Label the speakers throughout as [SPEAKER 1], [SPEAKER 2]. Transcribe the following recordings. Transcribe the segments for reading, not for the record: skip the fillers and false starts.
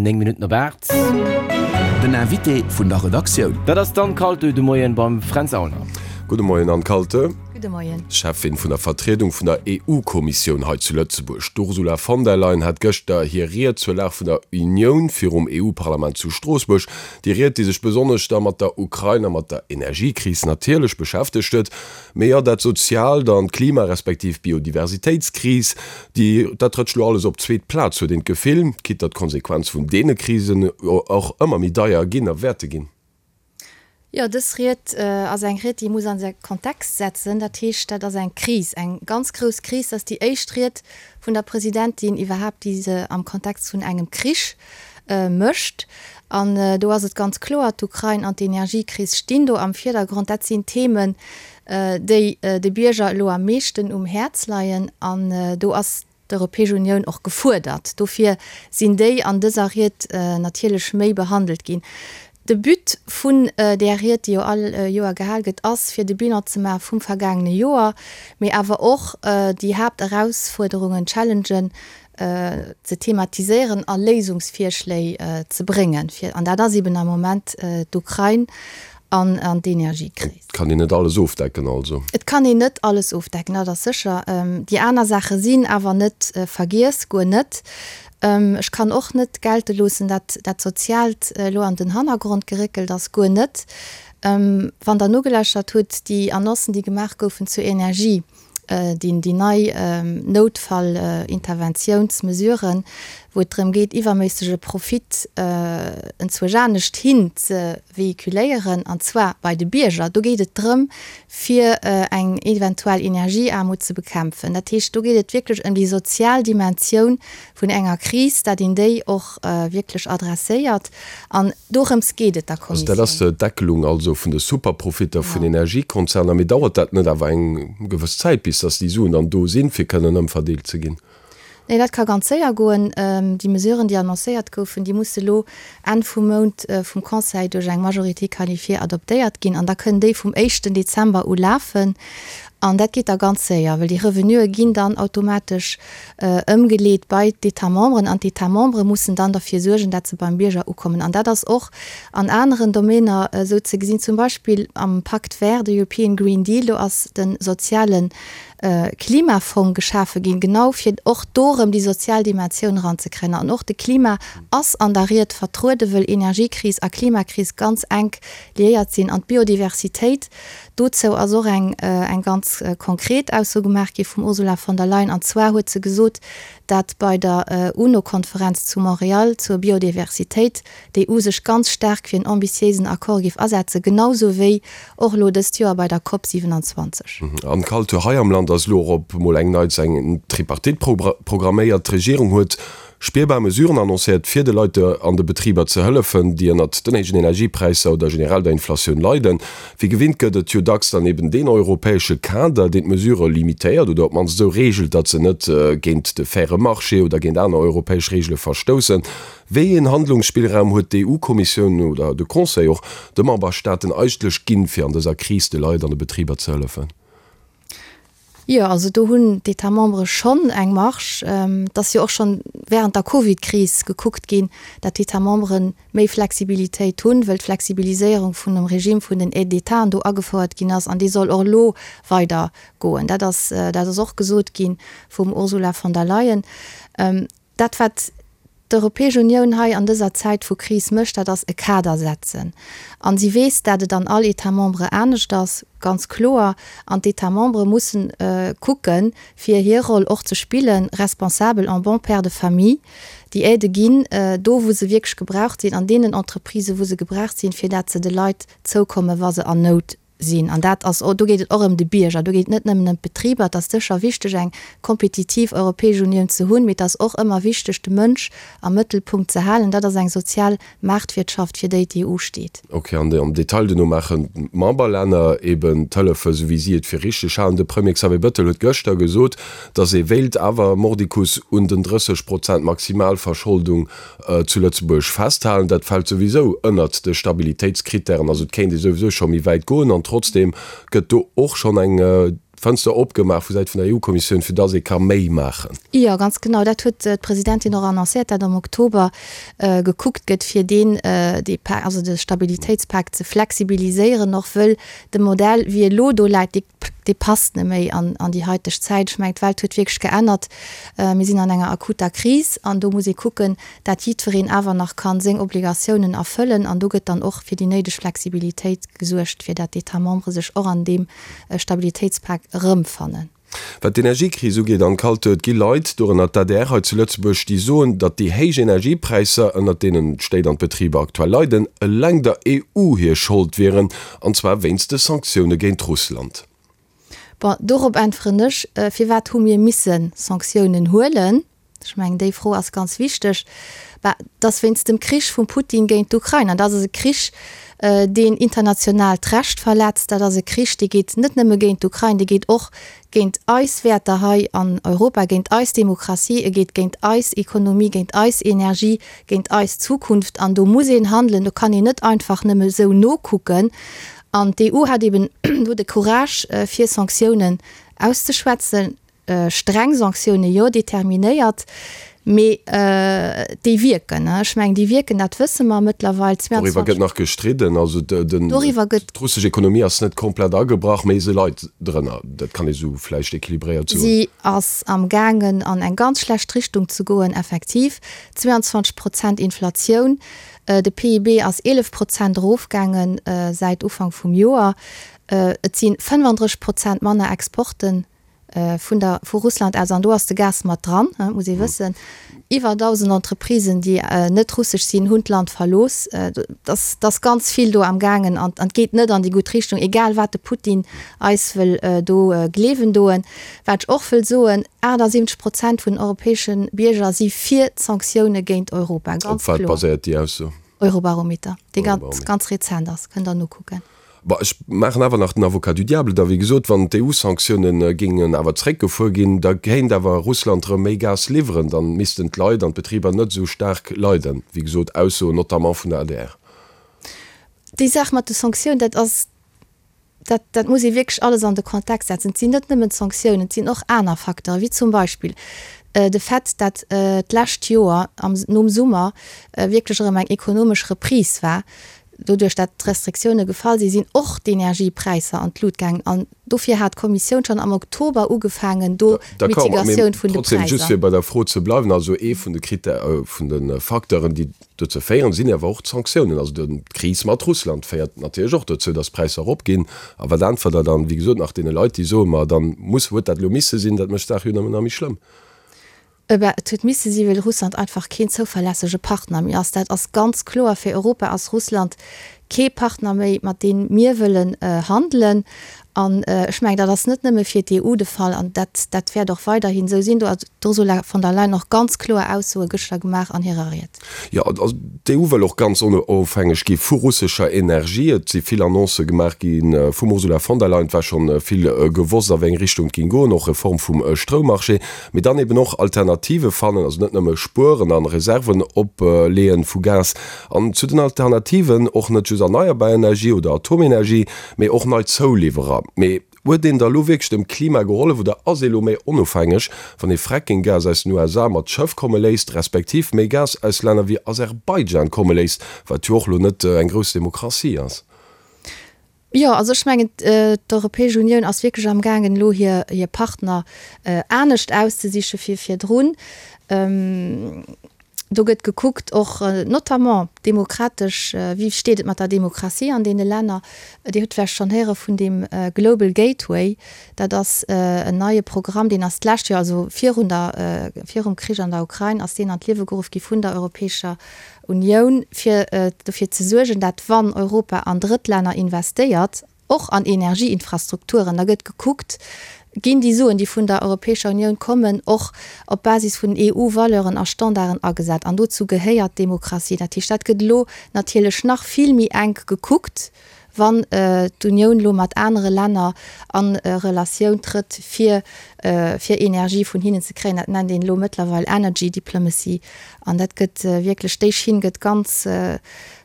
[SPEAKER 1] 9 Minutten op 8.
[SPEAKER 2] Den Invité vun der Redaktioun.
[SPEAKER 1] Dat ass d'Anne Kaltö de Moien beim Fränz Aulner.
[SPEAKER 3] Gudde Moien Anne Kaltö.
[SPEAKER 4] Gudde Moien.
[SPEAKER 3] Cheffin vun der Vertriedung vun der EU-Kommissioun hei zu Lëtzebuerg, d'Ursula von der Leyen, hat gëschter hir Ried zur Lag vun der Unioun virum EU-Parlament zu Stroossbuerg. Déi Ried, déi sech besonnesch da mat der Ukrain a mat der Energiekris natierlech beschäftegt huet, Mee jo, dat Soziaalt an d'Klima respektiv d'Biodiversitéitskris, déi, dat rëtscht elo alles op d'zweet Plaz, huet een d'Gefill, quitte datt d'Konsequenz vun deene Krisen och ëmmer méi deier ginn a wäerte ginn.
[SPEAKER 4] Jo, dës Ried ass eng Ried, déi muss an säi Kontext setzen. Dat heescht, dat ass eng Kris, eng ganz grouss Kris. Dat ass déi éischt Ried vun der Presidentin iwwerhaapt, déi se am Kontext vun engem Krich mécht. An do ass et ganz kloer, d'Ukrain an d'Energiekris stinn do am Virdergrond. Dat sinn Themen, déi de Bierger elo am meeschten um Häerz leien. An do ass d'Europäesch Unioun och gefuerdert. Dofir sinn déi an dëser Ried natierlech méi behandelt ginn. De But vun där Ried, déi jo all Joer gehal gëtt, ass, fir de Bilan ze maache vum vergaangene Joer, mee awer och déi Haapterausfuerderungen, Challengen, ze thematiséieren a Léisungsvirschléi ze bréngen, fir, an dat ass eben am Moment d'Ukrain an d'Energiekris.
[SPEAKER 3] Et kann een net alles ofdecken also?
[SPEAKER 4] Et kann een net alles ofdecken, dat ass sécher. Déi aner Saache sinn awer net vergiess, guer net. Ech kann och net gelte loossen, dat dat Soziaalt elo an den Hannergrond geréckelt ass, guer net. Wann Der nogelauschtert hutt, déi Annoncen, déi gemaach goufen zur Energie, déi nei Noutfallinterventiounsmesuren, wou et drëm geet, iwwerméissege Profit enzwousch anescht hin ze véhiculéieren, an zwar bei de Bierger. Do geet et drëm, fir eng eventuell Energieaarmut ze bekämpfen. Dat heescht, do geet et wierklech ëm déi sozial Dimensioun vun enger Kris, dat een déi och wierklech adresséiert. An dorëms geet et der
[SPEAKER 3] Also dat ass
[SPEAKER 4] Kommissioun.
[SPEAKER 3] d'Deckelung also vun de Superprofitter vun Energiekonzerner. Mee dauert dat net awer eng gewëss Zäit, bis datt déi Suen dann do sinn, fir kënnen ëmverdeelt ze ginn?
[SPEAKER 4] Nee, dat ka ganz séier goen. Déi Mesuren, déi annoncéiert goufen, déi musse lo Enn vum Mount vum Conseil duerch eng Majorité qualifiée adoptéiert ginn an da kënnen déi vum éischten Dezember u lafen. An dat geet da ganz séier, well déi Revenuë ginn dann automatesch ëmgeleet bei d'États membres an d'États membres mussen dann derfir suergen, dat se beim Bierger ukommen. An dat ass och an aneren Domainer esou ze gesinn, zum Beispill am Pacte vert, de European Green Deal, do ass de soziale Klimafong geschafe ginn, genau fir och do erëm déi sozial Dimensioun eranzekréien. An och de Klima ass an der Ried vertrueden, wëll Energiekris a Klimakris ganz enk liéiert sinn. An d'Biodiversitéit, dozou ass och eng eng ganz konkret Ausso gemaach gi vum Ursula von der Leyen. An zwar huet se gesot, dat bei der UNO-Konferenz zu Montréal zur Biodiversitéit d'EU sech ganz staark fir en ambitiéisen Accord géif asetzen, genau sou wéi och elo dëst Joer bei der Cop 27.
[SPEAKER 3] An d'Kultur hei am Land ass elo och op emol eng neits eng Tripartite programméiert. D'Regierung huet spierbar Mesuren annoncéiert, fir de Leit an de Betriber ze hëllefen, déi ënnert den héijen Energiepräisser oder generell der Inflatioun leiden. Wéi gewinnt gëtt et jo dacks dann eben deen europäesche Kader, deen d'Mesurë limitéiert oder op d'mannst esou reegelt, datt se net géint de faire Marché oder géint aner europäesch Reegele verstoussen. Wéi een Handlungsspillraum huet d'EU-Kommissioun oder de Conseil och de Memberstaaten eigentlech ginn, fir an dëser Kris de Leit an de Betriber ze hëllefen?
[SPEAKER 4] Jo, also do hunn d'États membres schonn eng Marge. Et ass jo och schonn während der Covid-Kris gekuckt ginn, dat d'États membres méi Flexibilitéit hunn, wëll d'Flexibiliséierung vun dem Regime vun den Aides d'État do agefouert ginn ass an déi soll och elo weider goen. Dat ass, dat ass och gesot gi vum Ursula von der Leyen. Dat, wat d'Europäesch Unioun hei an dëser Zäit vu Kris mécht, dat ass e Kader setzen. A si weess, dat et an all État membre anescht ass, ganz kloer. An d'États membres mussen kucken, fir hir Roll och ze spillen, responsabel, en bon père de famille, déi Aidë ginn, do wou se wierklech gebraucht sinn, an deenen Entreprisen, wou se gebraucht sinn, fir dat se de Leit zoukommen, wa se an Nout sinn. An dat ass, do geet et och ëm de Bierger, do geet et net nëmmen ëm d'Betriber. Et ass sécher wichteg, eng kompetitiv Europäesch Unioun ze hunn, mee et ass och ëmmer wichteg, de Mënsch am Mëttelpunkt ze halen. Dat ass eng sozial Maartwirtschaft, fir déi d'EU steet.
[SPEAKER 3] Ok, an am Detail duerno maachen d'Memberlänner eben d'Hëllefe sou wéi si et fir richteg halen. De Premier Xavier Bettel huet gëschter gesot, datt ee wéilt awer mordicus un den 30 Prozent Maximalverscholdung zu Lëtzebuerg festhalen. Dat fält souwisou ënnert de Stabilitéitskrittären, also et kéint ee souwisou scho méi wäit goen an trotzdeem gëtt do och schonn eng. d'Fënster opgemaach vu Säit vun der EU-Kommissioun, fir datt ee ka méi maachen.
[SPEAKER 4] Jo, ganz genau. Dat huet d'Presidentin och annoncéiert, dat am Oktober gekuckt gëtt, fir deen, dee Pak, also de Stabilitéitspak ze flexibiliséieren och, wëll de Modell, wéi e lo do läit, dee, dee passt net méi an, an déi haiteg Zäit. Ech mengen, d'Welt huet wierklech geännert. Mir sinn an enger akuter Kris an do muss ee kucken, dat jiddwereen awer nach kann seng Obligatiounen erfëllen. An do gëtt dann och fir déi néideg Flexibilitéit gesuergt, fir dat d'États membres sech och an deem Stabilitéitspak erëmfannen.
[SPEAKER 3] Wat d'Energiekris ugeet, Anne Kaltö, et gi Leit, dorënner d'ADR hei zu Lëtzebuerg, déi soen, datt déi héich Energiepräisser, ënnert deenen d'Stéit an d'Betriber aktuell leiden, eleng der EU hir Schold wieren, an zwar wéinst de Sanktioune géint Russland.
[SPEAKER 4] Bon, dorop äntweren ech, Firwat hu mir misse Sanktiounen huelen? Ech mengen, déi Fro ass ganz wichteg. Bah, et ass wéinst dem Krich vum Putin géint d'Ukrain. An dat ass e Krich, deen internationaalt Recht verletzt. Dat ass e Krich, dee geet net nëmme géint d'Ukrain, dee geet och géint eis Wäerter hei an Europa, géint eis Demokratie, e geet géint eis Ekonomie, géint eis Energie, géint eis Zukunft. An do muss een handelen, do kann een net einfach nëmme esou nokucken. An d'EU hat eben do de Courage, fir Sanktiounen auszeschwätzen. Streng Sanktioune jo, determinéiert, mee déi wierken. Ech mengen, déi wierken, dat wësse mer mëttlerweil.
[SPEAKER 3] Doriwwer gëtt nach gestridden. Also d'russesch Ekonomie ass net komplett agebrach, mee se leit drënner. Dat kann ee sou vläicht equilibréiert soen.
[SPEAKER 4] Si ass am gaangen an eng ganz schlecht Richtung ze goen, effektiv. 22 Prozent Inflatioun, de PIB ass 11 Prozent erofgaange säit Ufank vum Joer. Et si 35 Prozent manner Exporten vun der, vu Russland aus, an do ass de Gas mat dran, muss ee wëssen. Iwwer 1.000 Entreprisen, déi net russesch sinn, hunn d'Land verlooss. Et ass, et ass ganz vill do am gaangen an et geet net an déi gutt Richtung, egal wat de Putin eis wëll do gleewen doen. Wat ech och wëll soen, 78 Prozent vun den europäesche Bierger si fir d'Sanktioune géint Europa,
[SPEAKER 3] ganz kloer. Op wat baséiert déi Ausso?
[SPEAKER 4] Eurobarometer, dee ganz, ganz rezent ass, kënnt Der nokucken.
[SPEAKER 3] Bon, ech maachen awer nach den Avocat du diable da. Wéi gesot, wann d'EU-Sanktioune géingen awer zréckgefuer ginn, da kéint awer Russland erëm méi Gas liwweren. Dann missten d'Leit an d'Betriber net esou staark leiden. Wéi gesot, Aussoen notamment vun der adr.
[SPEAKER 4] Déi Saach mat de Sanktiounen, dat ass, dat, dat muss ee wierklech alles an de Kontext setzen. Et sinn net nëmmen d'Sanktiounen, et sinn och aner Facteuren, wéi zum Beispill de Fait, dat d'lescht Joer am, nom Summer wierklech erëm eng ekonomesch Reprise war. Doduerch dat d'Restriktioune gefall sinn, sinn och d'Energiepräisser an d'Lut gaangen. An dofir hat d'Kommissioun schonn am Oktober ugefaangen, do
[SPEAKER 3] d'Mitigatioun vun de Präisser. Just fir bei der Fro ze bleiwen, also ee vun de Critè-, vun de Facteuren, déi dozou féieren, sinn awer och d'Sanktiounen. Also d'Kris mat Russland féiert natierlech och dozou, datt d'Präisser eropginn. A wat äntwert Der dann, wéi gesot, nach deene Leit, déi soen, ma dann muss, huet dat elo misse sinn, dat mécht d'Saach jo nëmmen nach méi schlëmm?
[SPEAKER 4] Ebe, et huet misse si well Russland einfach keen zouverlässege Partner méi ass. Dat ass ganz kloer. Fir Europa ass Russland kee Partner méi, mat deem mir wëllen handelen. An ech mengen, dat ass net nëmme fir d'EU de Fall an dat, dat wäert och weiderhin esou sinn. Do hat d'Ursula von der Leyen och ganz kloer Aussoe gëschter gemaach an hirer Ried.
[SPEAKER 3] Jo, also d'EU wëll och ganz onofhängeg gi vu russescher Energie. Et si vill Annoncë gemaach gi vum Ursula von der Leyen. Et war schonn vill gewosst, a wéi eng Richtung et géing goen, och Reform vum Stroummarché. Mee dann eben och Alternative fannen, also net nëmme spueren an Reserven opleeën vu Gas. An zu den Alternativen och net just erneierbar Energie oder Atomenergie, mee och nei Zouliwwerer. Mee huet een da lo wierklech dem Klima gehollef oder ass ee lo méi onofhängeg, wann ee Fracking-Gas aus den USA mat Schëff komme léisst, respektiv méi Gas aus Länner wéi Aserbaidschan komme léisst, wat jo och lo net eng grouss Demokratie ass?
[SPEAKER 4] Jo, also ech mengen, d'Europäesch Unioun ass wierklech amgaangen, elo hir Partner anescht auszesiche wéi virdrun. Do gëtt gekuckt, och notamment demokratesch, wéi steet et mat der Demokratie an deene Länner. Dir hutt vläicht schonn héiere vun deem Global Gateway. Dat ass en neie Programm, deen ass d'lescht Joer, also virun der, virum Krich an der Ukrain, ass deen an d'Liewe geruff gi vun der Europäescher Unioun, fir dofir ze suergen, dat wann Europa an Drëttlänner investéiert, och an Energieinfrastrukturen, da gëtt gekuckt, ginn déi Suen, déi vun der Europäescher Unioun kommen, och op Basis vun EU-Valeuren a Standarden agesat. An dozou gehéiert d'Demokratie. Dat heescht, dat gëtt elo natierlech nach vill méi enk gekuckt, wann d'Unioun elo mat anere Länner a Relatioun trëtt, fir fir Energie vun hinnen ze kréien. Dat nennt een elo mëttlerweil Energy Diplomacy. An dat gëtt wierklech, déi Schinn gëtt ganz.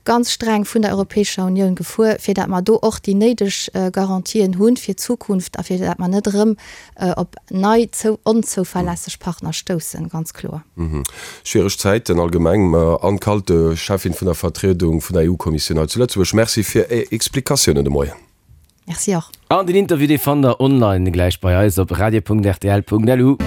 [SPEAKER 4] Ganz streng vun der Europäescher Unioun gefuer, fir dat mer do och déi néideg Garantien hu fir d'Zukunft a fir dat mer net erëm op nei onzouverlässeg Partner stoussen, ganz kloer.
[SPEAKER 3] Schwiereg Zäiten allgemeng. Mme Anne Kalte, Cheffin vun der Vertriedung vun der EU-Kommissioun hei zu Lëtzebuerg, Merci fir Är Explikatiounen de Moien.
[SPEAKER 4] Merci och.
[SPEAKER 1] An den Interview dee fannt der online gläich bei eis op radio.rtl.lu.